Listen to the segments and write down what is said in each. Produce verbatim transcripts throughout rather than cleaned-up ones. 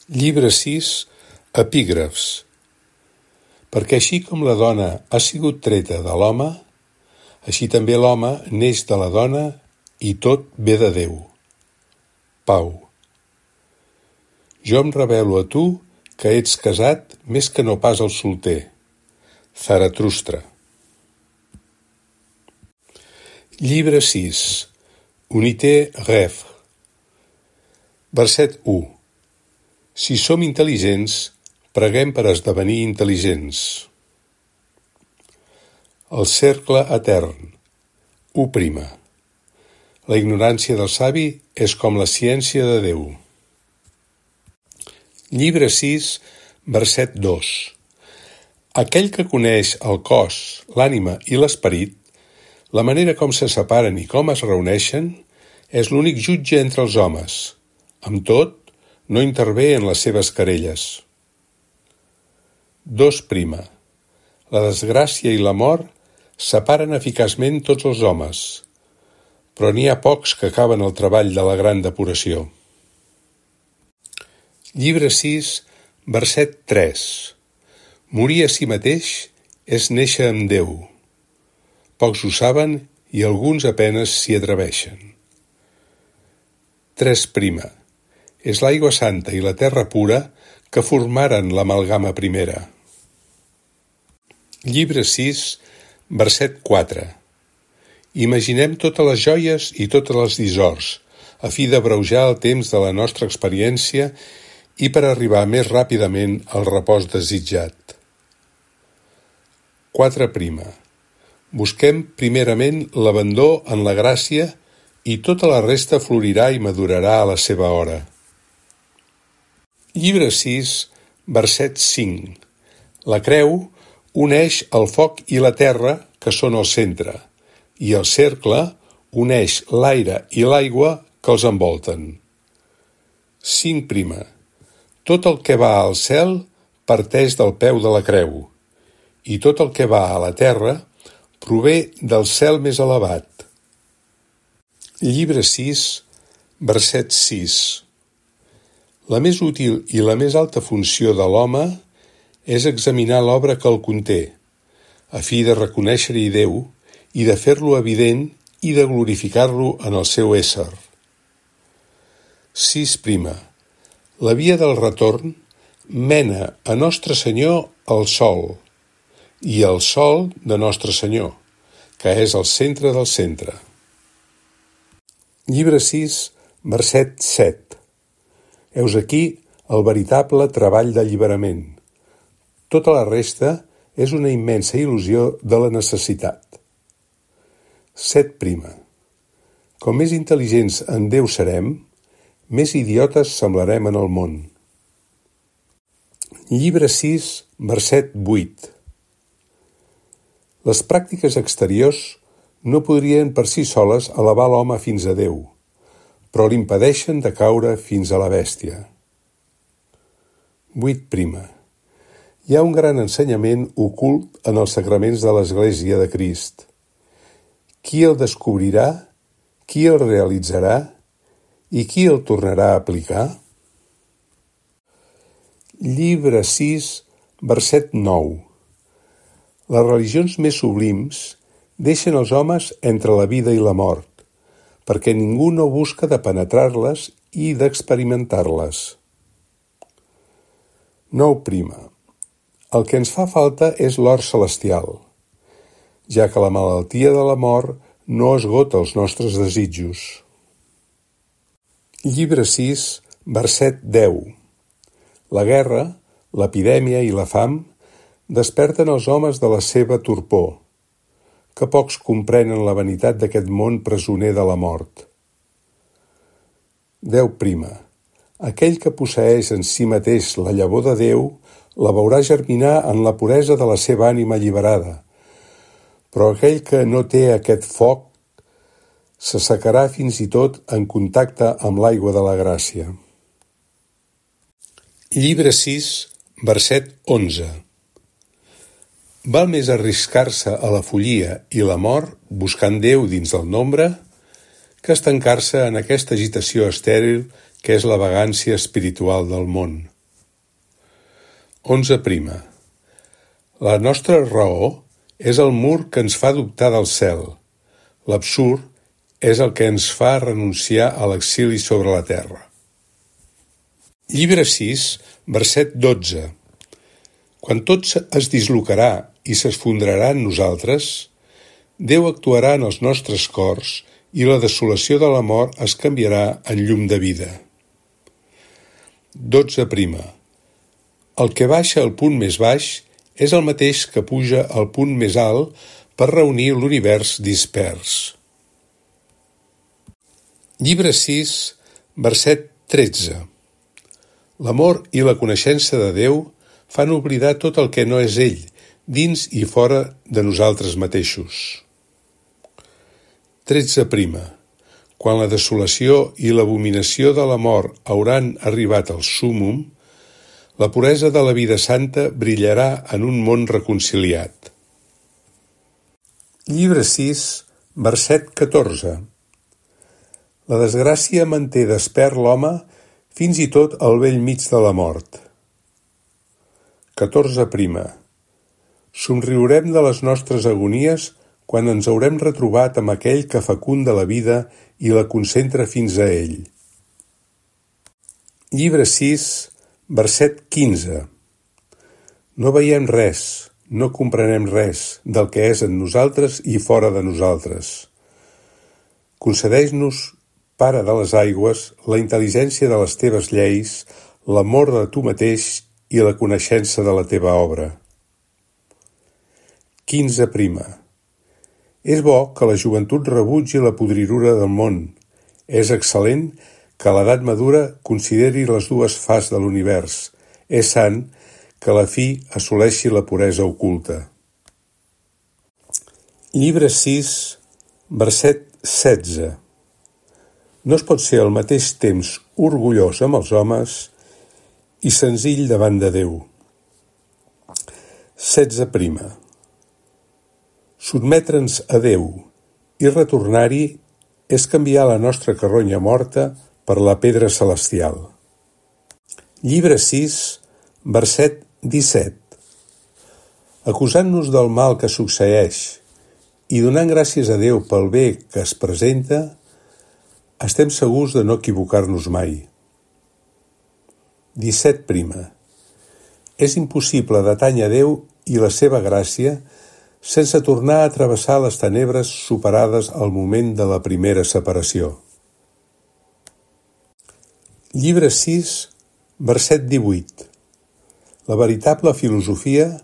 Llibre sis, epígrafs. Perquè així com la dona ha sigut treta de l'home, així també l'home neix de la dona i tot ve de Déu. Pau. Jo em revelo a tu que ets casat més que no pas el solter. Zaratustra. Llibre sis, Unité Rêve. Verset u. Si som intel·ligents, preguem per esdevenir intel·ligents. El cercle etern. u prima. La ignorància del savi és com la ciència de Déu. Llibre sis, verset dos. Aquell que coneix el cos, l'ànima i l'esperit, la manera com se separen i com es reuneixen, és l'únic jutge entre els homes. Amb tot, no intervé en les seves querelles. dos prima. La desgràcia i la mort separen eficaçment tots els homes, però n'hi ha pocs que acaben el treball de la gran depuració. Llibre sis, verset tres. Morir a si mateix és néixer amb Déu. Pocs ho saben i alguns apenes s'hi atreveixen. tres prima. És l'aigua santa i la terra pura que formaren l'amalgama primera. Llibre sis, verset quatre. Imaginem totes les joies i totes les dissors, a fi d'abreujar el temps de la nostra experiència i per arribar més ràpidament al repòs desitjat. quatre prima. Busquem primerament l'abandó en la gràcia i tota la resta florirà i madurarà a la seva hora. Llibre sis, verset cinc. La creu uneix el foc i la terra, que són el centre, i el cercle uneix l'aire i l'aigua que els envolten. cinc prima. Tot el que va al cel parteix del peu de la creu, i tot el que va a la terra prové del cel més elevat. Llibre sis, verset sis. La més útil i la més alta funció de l'home és examinar l'obra que el conté, a fi de reconèixer-hi Déu i de fer-lo evident i de glorificar-lo en el seu ésser. sis prima. La via del retorn mena a Nostre Senyor al sol, i el sol de Nostre Senyor, que és el centre del centre. Llibre sis, verset set. Heus aquí el veritable treball d'alliberament. Tota la resta és una immensa il·lusió de la necessitat. set prima. Com més intel·ligents en Déu serem, més idiotes semblarem en el món. Llibre sis, verset vuit. Les pràctiques exteriors no podrien per si soles elevar l'home fins a Déu, però l'impedeixen de caure fins a la bèstia. vuit prima. Hi ha un gran ensenyament ocult en els sacraments de l'Església de Crist. Qui el descobrirà, qui el realitzarà i qui el tornarà a aplicar? Llibre sis, verset nou. Les religions més sublims deixen els homes entre la vida i la mort, perquè ningú no busca de penetrar-les i d'experimentar-les. nou prima. El que ens fa falta és l'or celestial, ja que la malaltia de la mort no esgota els nostres desitjos. Llibre sis, verset deu. La guerra, l'epidèmia i la fam desperten els homes de la seva torpor, que pocs comprenen la vanitat d'aquest món presoner de la mort. deu prima. Aquell que posseeix en si mateix la llavor de Déu la veurà germinar en la puresa de la seva ànima alliberada, però aquell que no té aquest foc s'assecarà fins i tot en contacte amb l'aigua de la gràcia. Llibre sis, verset onze. Val més arriscar-se a la follia i la mort buscant Déu dins del nombre que estancar-se en aquesta agitació estèril que és la vagància espiritual del món. onze. La nostra raó és el mur que ens fa dubtar del cel. L'absurd és el que ens fa renunciar a l'exili sobre la terra. Llibre sis, verset dotze. Quan tot es dislocarà i s'esfondrarà en nosaltres, Déu actuarà en els nostres cors i la desolació de la mort es canviarà en llum de vida. dotze. El que baixa al punt més baix és el mateix que puja al punt més alt per reunir l'univers dispers. Llibre sis, verset tretze. L'amor i la coneixença de Déu fan oblidar tot el que no és ell, dins i fora de nosaltres mateixos. tretze. Quan la desolació i l'abominació de la mort hauran arribat al súmmum, la puresa de la vida santa brillarà en un món reconciliat. Llibre sis, verset catorze. La desgràcia manté despert l'home fins i tot al bell mig de la mort. catorze. Somriurem de les nostres agonies quan ens haurem retrobat amb aquell que fecunda la vida i la concentra fins a ell. Llibre sis, verset quinze. No veiem res, no comprenem res del que és en nosaltres i fora de nosaltres. Concedeix-nos, Pare de les aigües, la intel·ligència de les teves lleis, l'amor de tu mateix i la coneixença de la teva obra. quinze. És bo que la joventut rebutgi la podridura del món. És excel·lent que l'edat madura consideri les dues faces de l'univers. És sant que la fi assoleixi la puresa oculta. Llibre sis, verset setze. No es pot ser al mateix temps orgullós amb els homes i senzill davant de Déu. setze. Sotmetre'ns a Déu i retornar-hi és canviar la nostra carronya morta per la pedra celestial. Llibre sis, verset disset. Acusant-nos del mal que succeeix i donant gràcies a Déu pel bé que es presenta, estem segurs de no equivocar-nos mai. disset. És impossible detany a Déu i la seva gràcia sense tornar a travessar les tenebres superades al moment de la primera separació. Llibre sis, verset divuit. La veritable filosofia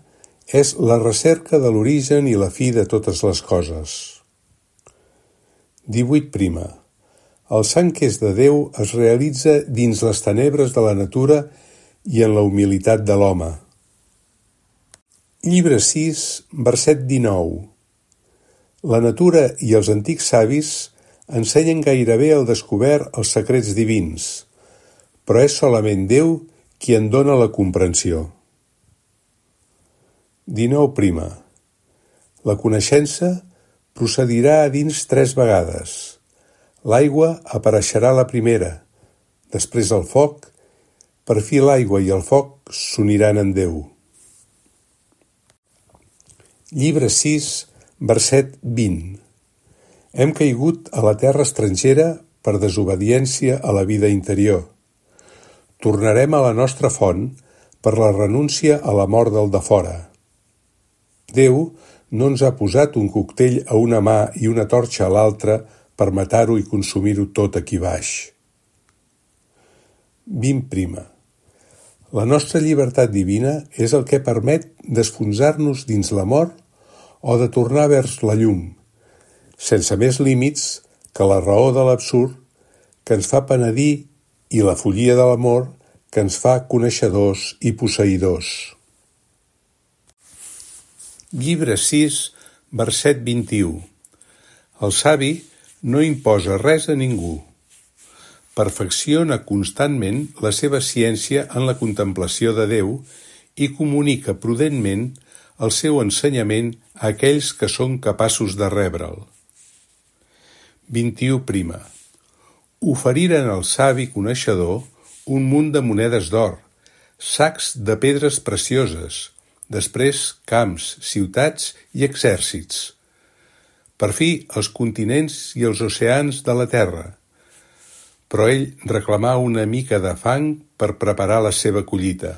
és la recerca de l'origen i la fi de totes les coses. divuit. El sant que és de Déu es realitza dins les tenebres de la natura i en la humilitat de l'home. Llibre sis, verset dinou. La natura i els antics savis ensenyen gairebé al descobert els secrets divins, però és solament Déu qui en dona la comprensió. dinou. La coneixença procedirà a dins tres vegades. L'aigua apareixerà la primera, després el foc, per fi l'aigua i el foc s'uniran en Déu. Llibre sis, verset vint. Hem caigut a la terra estrangera per desobediència a la vida interior. Tornarem a la nostra font per la renúncia a la mort del de fora. Déu no ens ha posat un coctell a una mà i una torxa a l'altra per matar-ho i consumir-ho tot aquí baix. vint. La nostra llibertat divina és el que permet d'esfonsar-nos dins la mort o de tornar vers la llum, sense més límits que la raó de l'absurd que ens fa penedir i la follia de l'amor que ens fa coneixedors i posseïdors. Llibre sis, verset vint-i-u. El savi no imposa res a ningú. Perfecciona constantment la seva ciència en la contemplació de Déu i comunica prudentment el seu ensenyament a aquells que són capaços de rebre'l. vint-i-u. Oferiren al savi coneixedor un munt de monedes d'or, sacs de pedres precioses, després camps, ciutats i exèrcits. Per fi, els continents i els oceans de la terra. Però ell reclamà una mica de fang per preparar la seva collita.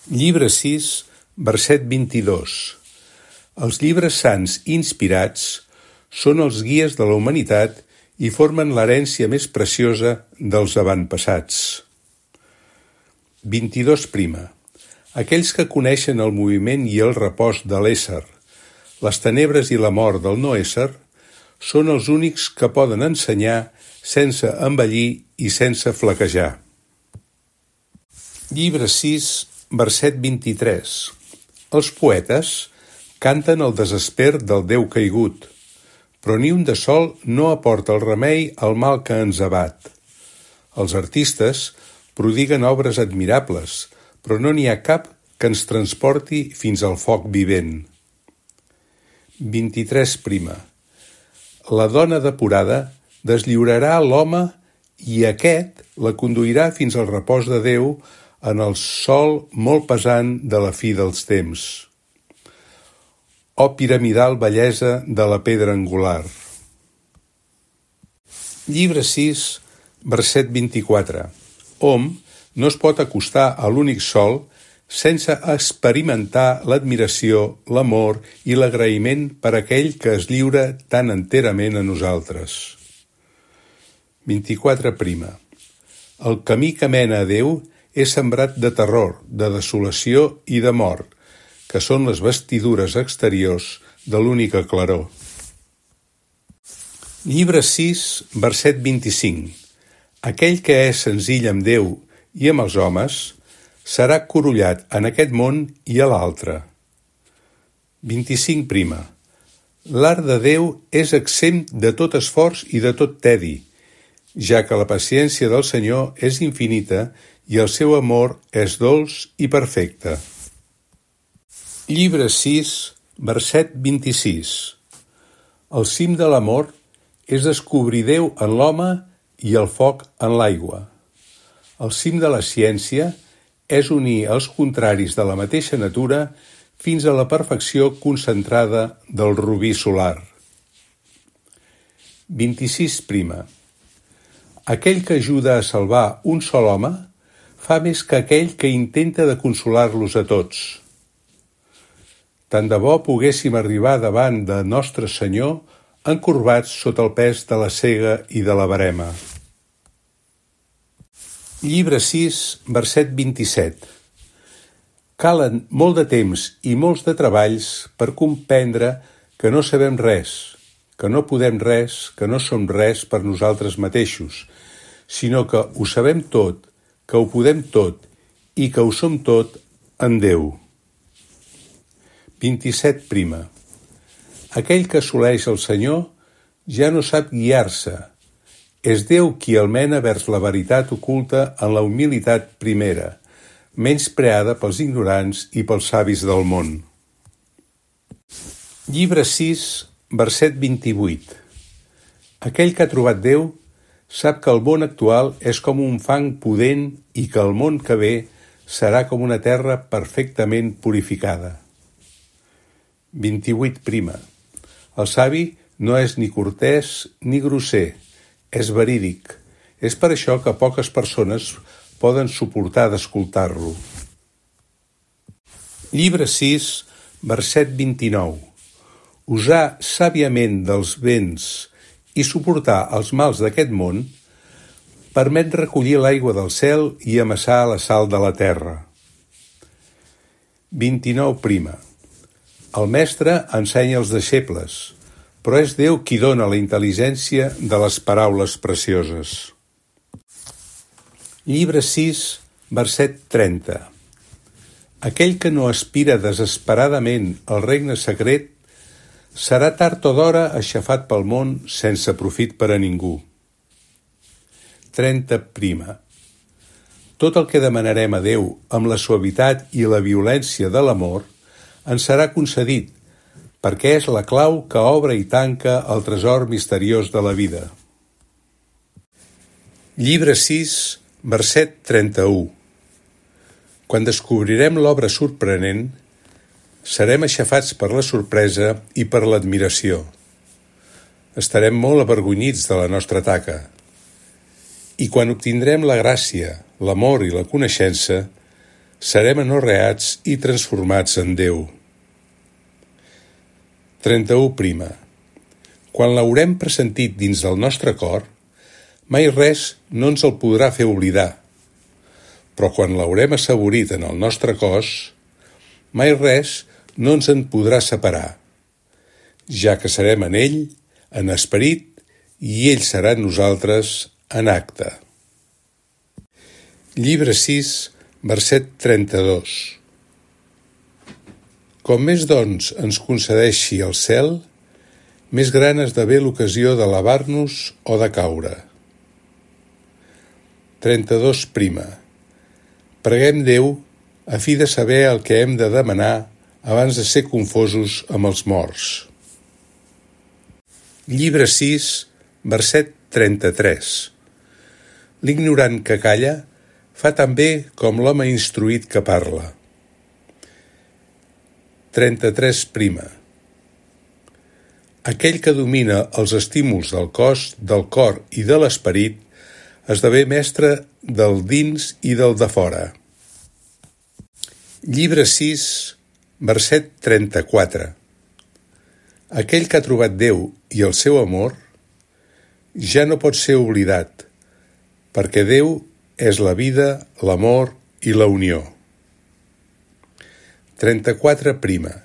Llibre sis, verset vint-i-dos. Els llibres sants inspirats són els guies de la humanitat i formen l'herència més preciosa dels avantpassats. vint-i-dos prima. Aquells que coneixen el moviment i el repòs de l'ésser, les tenebres i la mort del no ésser, són els únics que poden ensenyar sense envellir i sense flaquejar. Llibre sis, verset vint-i-tres. Els poetes canten el desesper del Déu caigut, però ni un de sol no aporta el remei al mal que ens abat. Els artistes prodiguen obres admirables, però no n'hi ha cap que ens transporti fins al foc vivent. vint-i-tres prima. La dona depurada deslliurarà l'home i aquest la conduirà fins al repòs de Déu en el sol molt pesant de la fi dels temps. Oh piramidal bellesa de la pedra angular. Llibre sis, verset vint-i-quatre. Hom no es pot acostar a l'únic sol sense experimentar l'admiració, l'amor i l'agraïment per aquell que es lliura tan enterament a nosaltres. vint-i-quatre prima. El camí que mena a Déu és sembrat de terror, de desolació i de mort, que són les vestidures exteriors de l'única claror. Llibre sis, verset vint-i-cinc. Aquell que és senzill amb Déu i amb els homes serà corollat en aquest món i a l'altre. vint-i-cinc prima. L'art de Déu és exempt de tot esforç i de tot tedi, ja que la paciència del Senyor és infinita i el seu amor és dolç i perfecte. Llibre sis, verset vint-i-sis. El cim de l'amor és descobrir Déu en l'home i el foc en l'aigua. El cim de la ciència és unir els contraris de la mateixa natura fins a la perfecció concentrada del rubí solar. vint-i-sis prima. Aquell que ajuda a salvar un sol home fa més que aquell que intenta de consolar-los a tots. Tant de bo poguéssim arribar davant de Nostre Senyor encorbats sota el pes de la cega i de la verema. Llibre sis, verset vint-i-set. Calen molt de temps i molts de treballs per comprendre que no sabem res, que no podem res, que no som res per nosaltres mateixos, sinó que ho sabem tot, que ho podem tot i que ho som tot en Déu. vint-i-set prima. Aquell que assoleix el Senyor ja no sap guiar-se. És Déu qui el mena vers la veritat oculta en la humilitat primera, menyspreada pels ignorants i pels savis del món. Llibre sis, verset vint-i-vuit. Aquell que ha trobat Déu sap que el món actual és com un fang pudent i que el món que ve serà com una terra perfectament purificada. vint-i-vuit prima. El savi no és ni cortès ni grosser, és verídic. És per això que poques persones poden suportar d'escoltar-lo. Llibre sis, verset vint-i-nou. Usar sàviament dels béns i suportar els mals d'aquest món permet recollir l'aigua del cel i amassar la sal de la terra. vint-i-nou prima. El mestre ensenya els deixebles, però és Déu qui dona la intel·ligència de les paraules precioses. Llibre sis, verset trenta. Aquell que no aspira desesperadament al regne secret serà tard o d'hora aixafat pel món sense profit per a ningú. trenta prima. Tot el que demanarem a Déu amb la suavitat i la violència de l'amor ens serà concedit, perquè és la clau que obre i tanca el tresor misteriós de la vida. Llibre sis, Verset trenta-u. Quan descobrirem l'obra sorprenent, serem aixafats per la sorpresa i per l'admiració. Estarem molt avergonyits de la nostra taca. I quan obtindrem la gràcia, l'amor i la coneixença, serem anorreats i transformats en Déu. trenta-u prima. Quan l'haurem pressentit dins del nostre cor, mai res no ens el podrà fer oblidar. Però quan l'haurem assaborit en el nostre cos, mai res no ens en podrà separar, ja que serem en ell, en esperit, i ell serà en nosaltres en acte. Llibre sis, verset trenta-dos. Com més doncs ens concedeixi el cel, més gran esdevé l'ocasió d'elevar-nos o de caure. trenta-dos prima. Preguem Déu a fi de saber el que hem de demanar abans de ser confosos amb els morts. Llibre sis, verset trenta-tres. L'ignorant que calla fa tan bé com l'home instruït que parla. trenta-tres prima. Aquell que domina els estímuls del cos, del cor i de l'esperit esdevé mestre del dins i del de fora. Llibre sis, verset trenta-quatre. Aquell que ha trobat Déu i el seu amor ja no pot ser oblidat, perquè Déu és la vida, l'amor i la unió. trenta-quatre prima.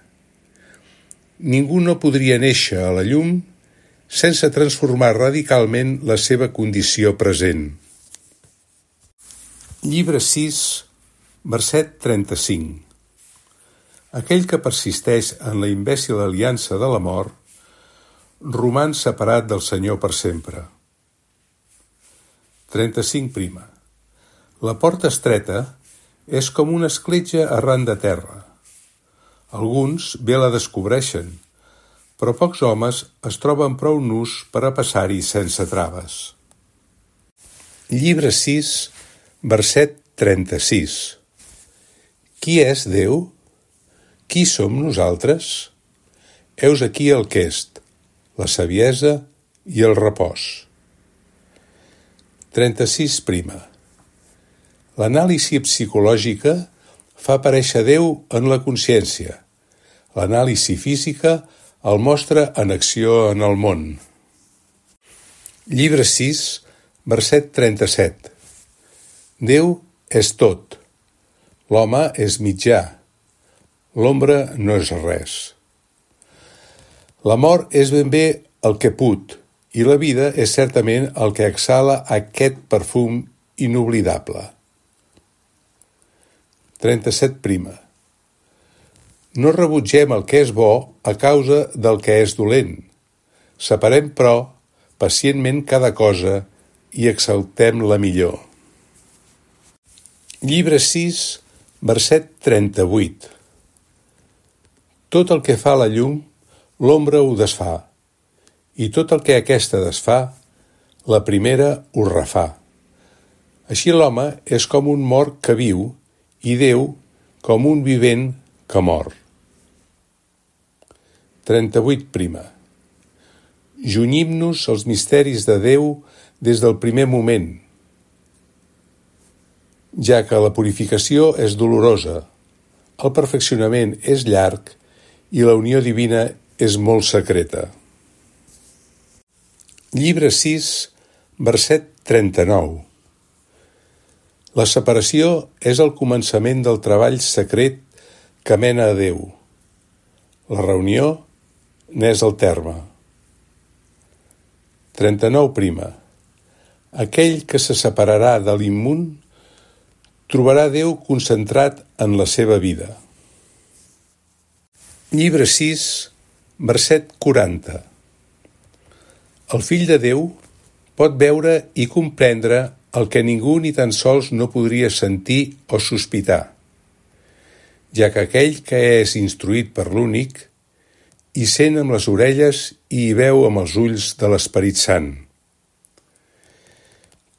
Ningú no podria néixer a la llum sense transformar radicalment la seva condició present. Llibre sis, verset trenta-cinc. Aquell que persisteix en la imbècil aliança de la mort roman separat del Senyor per sempre. trenta-cinc prima. La porta estreta és com una escletxa arran de terra. Alguns bé la descobreixen, però pocs homes es troben prou nus per a passar-hi sense traves. Llibre sis, verset trenta-sis. Qui és Déu? Qui som nosaltres? Heus aquí el quest, la saviesa i el repòs. trenta-sis prima. L'anàlisi psicològica fa aparèixer Déu en la consciència. L'anàlisi física el mostra en acció en el món. Llibre sis, verset trenta-set. Déu és tot. L'home és mitjà. L'ombra no és res. La mort és ben bé el que put, i la vida és certament el que exhala aquest perfum inoblidable. trenta-set prima. No rebutgem el que és bo a causa del que és dolent. Separem, però, pacientment cada cosa i exaltem la millor. Llibre sis, verset trenta-vuit. Tot el que fa la llum, l'ombra ho desfà, i tot el que aquesta desfà, la primera ho refà. Així l'home és com un mort que viu, i Déu com un vivent que mor. trenta-vuit prima. Junyim-nos als misteris de Déu des del primer moment, ja que la purificació és dolorosa, el perfeccionament és llarg i la unió divina és molt secreta. Llibre sis, verset trenta-nou. La separació és el començament del treball secret que mena a Déu. La reunió n'és el terme. trenta-nou prima. Aquell que se separarà de l'immun trobarà Déu concentrat en la seva vida. Llibre sis, verset quaranta. El fill de Déu pot veure i comprendre el que ningú ni tan sols no podria sentir o sospitar, ja que aquell que és instruït per l'únic hi sent amb les orelles i hi veu amb els ulls de l'Esperit Sant.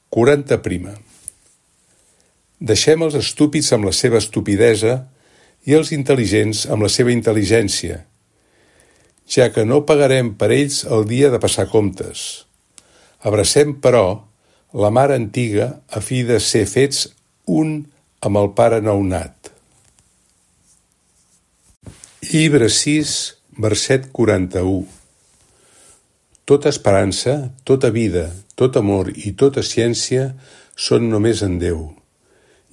quaranta prima. Deixem els estúpids amb la seva estupidesa i els intel·ligents amb la seva intel·ligència, ja que no pagarem per ells el dia de passar comptes. Abracem, però, la mare antiga a fi de ser fets un amb el pare nounat. Llibre sis, verset quaranta-u. Tota esperança, tota vida, tot amor i tota ciència són només en Déu,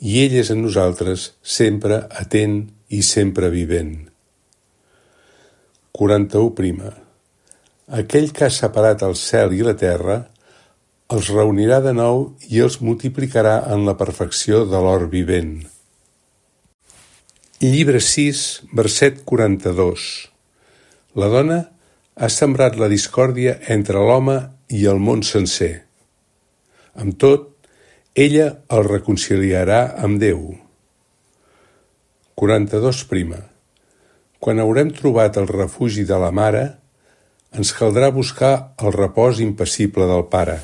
i ell és en nosaltres sempre atent i sempre vivent. quaranta-u prima. Aquell que ha separat el cel i la terra els reunirà de nou i els multiplicarà en la perfecció de l'or vivent. Llibre sis, verset quaranta-dos. La dona ha sembrat la discòrdia entre l'home i el món sencer. Amb tot, ella el reconciliarà amb Déu. quaranta-dos prima. Quan haurem trobat el refugi de la mare, ens caldrà buscar el repòs impassible del pare.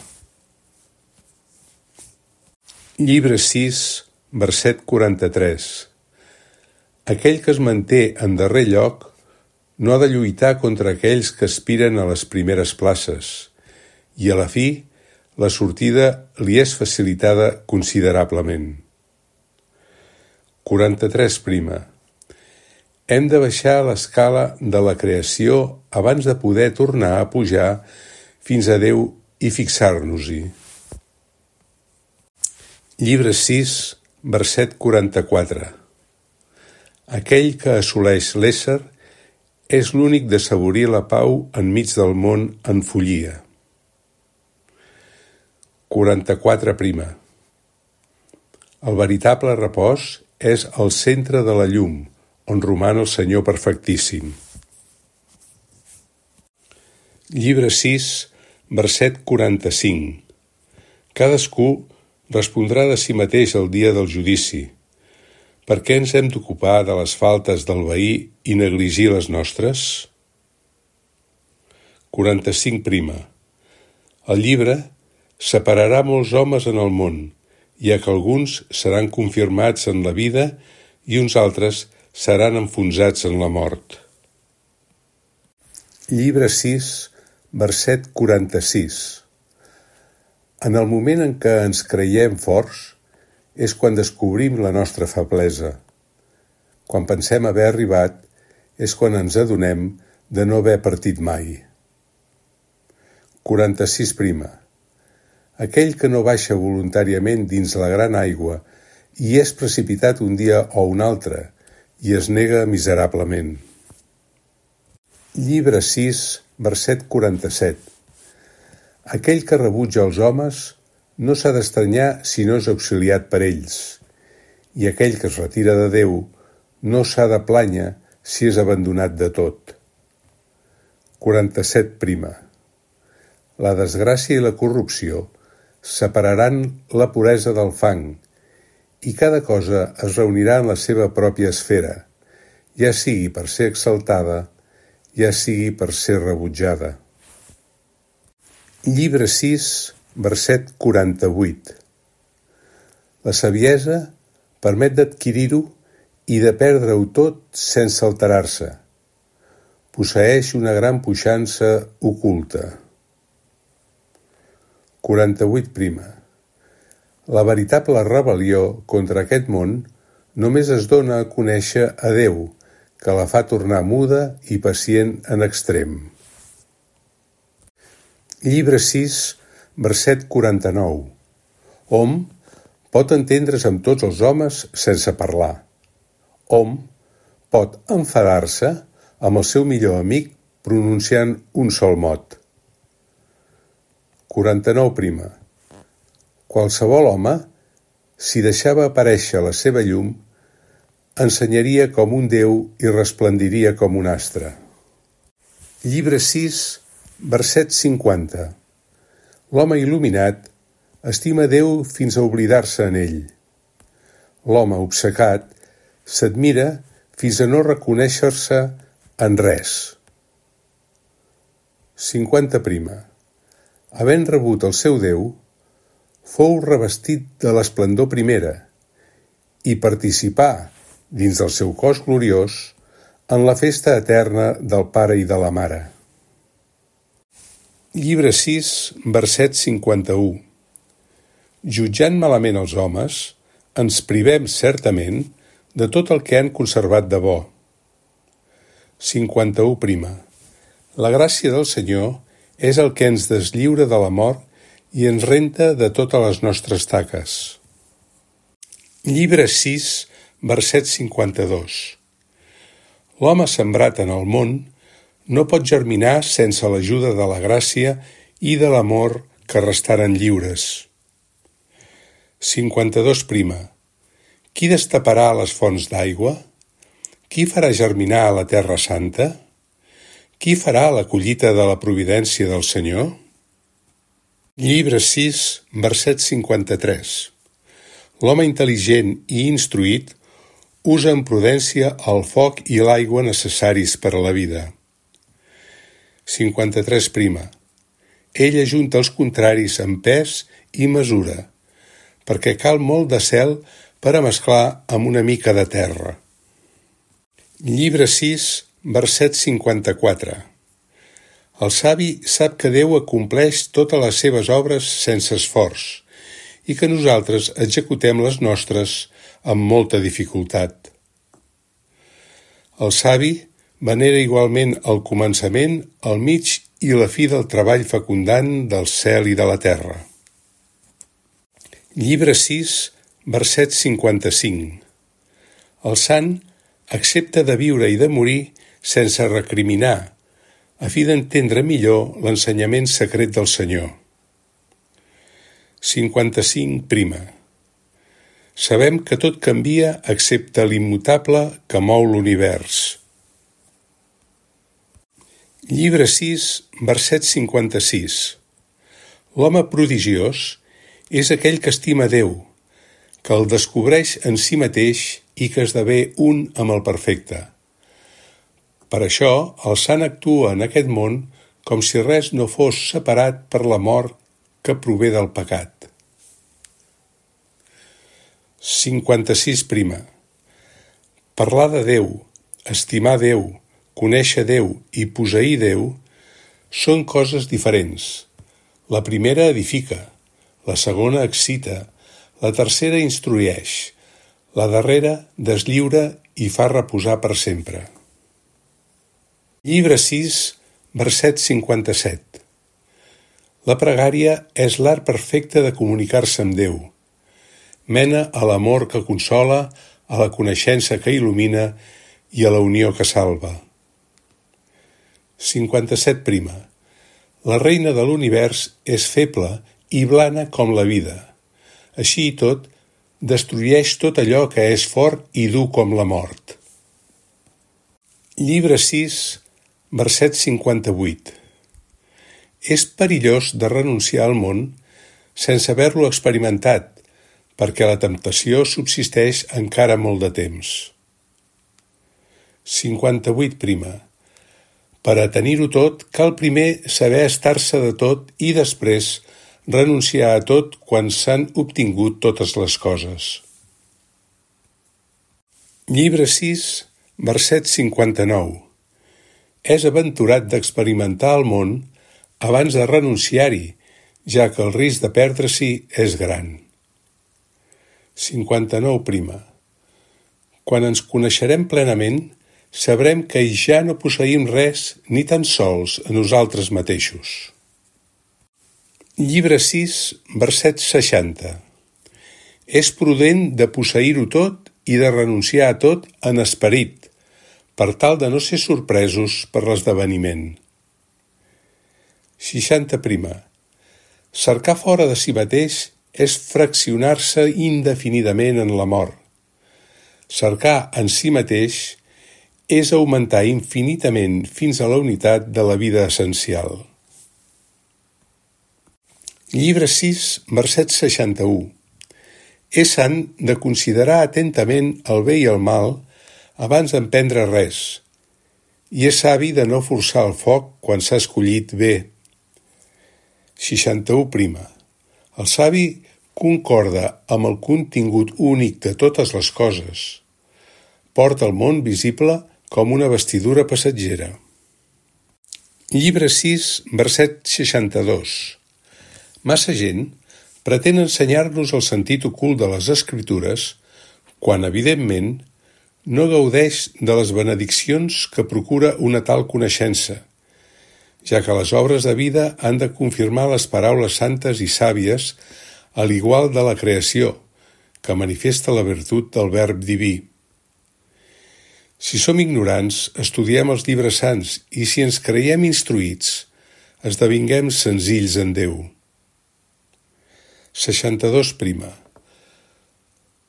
Llibre sis, verset quaranta-tres. Aquell que es manté en darrer lloc no ha de lluitar contra aquells que aspiren a les primeres places, i a la fi la sortida li és facilitada considerablement. quaranta-tres prima. Hem de baixar l'escala de la creació abans de poder tornar a pujar fins a Déu i fixar-nos-hi. Llibre sis, verset quaranta-quatre. Aquell que assoleix l'ésser és l'únic d'assaborir la pau enmig del món en follia. quaranta-quatre prima. El veritable repòs és el centre de la llum, on roman el Senyor perfectíssim. Llibre sis, verset quaranta-cinc. Cadascú respondrà de si mateix el dia del judici. Per què ens hem d'ocupar de les faltes del veí i negligir les nostres? quaranta-cinc prima. El llibre separarà molts homes en el món, ja que alguns seran confirmats en la vida i uns altres seran enfonsats en la mort. Llibre sis, verset quaranta-sis. En el moment en què ens creiem forts és quan descobrim la nostra feblesa. Quan pensem haver arribat és quan ens adonem de no haver partit mai. quaranta-sis prima. Aquell que no baixa voluntàriament dins la gran aigua i és precipitat un dia o un altre i es nega miserablement. Llibre sis, verset quaranta-set. Aquell que rebutja els homes no s'ha d'estranyar si no és auxiliat per ells, i aquell que es retira de Déu no s'ha de plànyer si és abandonat de tot. quaranta-set prima. La desgràcia i la corrupció separaran la puresa del fang, i cada cosa es reunirà en la seva pròpia esfera, ja sigui per ser exaltada, ja sigui per ser rebutjada. Llibre sis, verset quaranta-vuit. La saviesa permet d'adquirir-ho i de perdre-ho tot sense alterar-se. Posseeix una gran puixança oculta. quaranta-vuit prima. La veritable rebel·lió contra aquest món només es dona a conèixer a Déu, que la fa tornar muda i pacient en extrem. Llibre sis, verset quaranta-nou. Hom pot entendre's amb tots els homes sense parlar. Hom pot enfadar-se amb el seu millor amic pronunciant un sol mot. quaranta-nou prima. Qualsevol home, si deixava aparèixer la seva llum, ensenyaria com un déu i resplendiria com un astre. Llibre sis, verset cinquanta. L'home il·luminat estima Déu fins a oblidar-se en ell. L'home obcecat s'admira fins a no reconèixer-se en res. cinquanta prima. Havent rebut el seu Déu, fou revestit de l'esplendor primera i participar, dins del seu cos gloriós, en la festa eterna del Pare i de la Mare. Llibre sis, verset cinquanta-u. Jutjant malament els homes, ens privem certament de tot el que han conservat de bo. cinquanta-u prima. La gràcia del Senyor és el que ens deslliura de la mort i ens renta de totes les nostres taques. Llibre sis, verset cinquanta-dos. L'home sembrat en el món no pot germinar sense l'ajuda de la gràcia i de l'amor que restaren lliures. cinquanta-dos prima. Qui destaparà les fonts d'aigua? Qui farà germinar a la terra santa? Qui farà la collita de la providència del Senyor? Llibre sis, verset cinquanta-tres. L'home intel·ligent i instruït usa amb prudència el foc i l'aigua necessaris per a la vida. cinquanta-tres prima. Ell ajunta els contraris amb pes i mesura, perquè cal molt de cel per a mesclar amb una mica de terra. Llibre sis, verset cinquanta-quatre. El savi sap que Déu acompleix totes les seves obres sense esforç i que nosaltres executem les nostres amb molta dificultat. El savi venera igualment el començament, el mig i la fi del treball fecundant del cel i de la terra. Llibre sis, verset cinquanta-cinc. El sant accepta de viure i de morir sense recriminar, a fi d'entendre millor l'ensenyament secret del Senyor. cinquanta-cinc prima. Sabem que tot canvia excepte l'immutable que mou l'univers. Llibre sis, verset cinquanta-sis. L'home prodigiós és aquell que estima Déu, que el descobreix en si mateix i que esdevé un amb el perfecte. Per això, el sant actua en aquest món com si res no fos separat per la mort que prové del pecat. cinquanta-sis prima. Parlar de Déu, estimar Déu, conèixer Déu i posseir Déu són coses diferents. La primera edifica, la segona excita, la tercera instrueix, la darrera deslliura i fa reposar per sempre. Llibre sis, verset cinquanta-set. La pregària és l'art perfecte de comunicar-se amb Déu. Mena a l'amor que consola, a la coneixença que il·lumina i a la unió que salva. cinquanta-set prima. La reina de l'univers és feble i blana com la vida. Així i tot, destrueix tot allò que és fort i dur com la mort. Llibre sis, verset cinquanta-vuit. És perillós de renunciar al món sense haver-lo experimentat, perquè la temptació subsisteix encara molt de temps. cinquanta-vuit prima. Per a tenir-ho tot, cal primer saber estar-se de tot i després renunciar a tot quan s'han obtingut totes les coses. Llibre sis, verset cinquanta-nou. És aventurat d'experimentar el món abans de renunciar-hi, ja que el risc de perdre-s'hi és gran. cinquanta-nou prima. Quan ens coneixerem plenament, sabrem que ja no posseïm res ni tan sols a nosaltres mateixos. Llibre sis, verset seixanta. És prudent de posseir-ho tot i de renunciar a tot en esperit, per tal de no ser sorpresos per l'esdeveniment. seixanta prima. Cercar fora de si mateix és fraccionar-se indefinidament en la mort. Cercar en si mateix és augmentar infinitament fins a la unitat de la vida essencial. Llibre sis, verset seixanta-u. És sant de considerar atentament el bé i el mal abans d'emprendre res, i és savi de no forçar el foc quan s'ha escollit bé. seixanta-u prima. El savi concorda amb el contingut únic de totes les coses. Porta el món visible com una vestidura passatgera. Llibre sis, verset seixanta-dos. Massa gent pretén ensenyar-nos el sentit ocult de les Escritures quan, evidentment, no gaudeix de les benediccions que procura una tal coneixença, ja que les obres de vida han de confirmar les paraules santes i sàvies a l'igual de la creació, que manifesta la virtut del verb diví. Si som ignorants, estudiem els llibres sants i si ens creiem instruïts, esdevinguem senzills en Déu. seixanta-dos prima.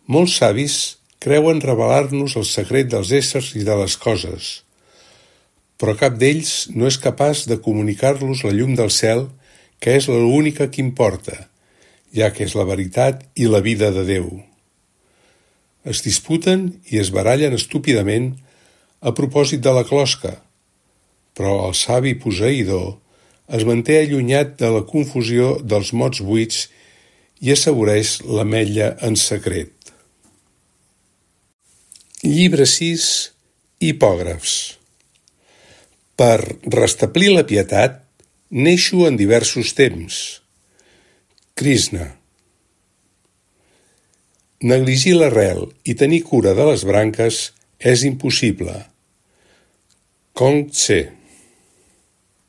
Molts savis creuen revelar-nos el secret dels éssers i de les coses, però cap d'ells no és capaç de comunicar-los la llum del cel, que és l'única que importa, ja que és la veritat i la vida de Déu. Es disputen i es barallen estúpidament a propòsit de la closca, però el savi posseïdor es manté allunyat de la confusió dels mots buits i assaboreix l'ametlla en secret. Llibre sis, Hipògrafs. Per restablir la pietat, neixo en diversos temps. Krishna. Negligir l'arrel i tenir cura de les branques és impossible. Kong Tse.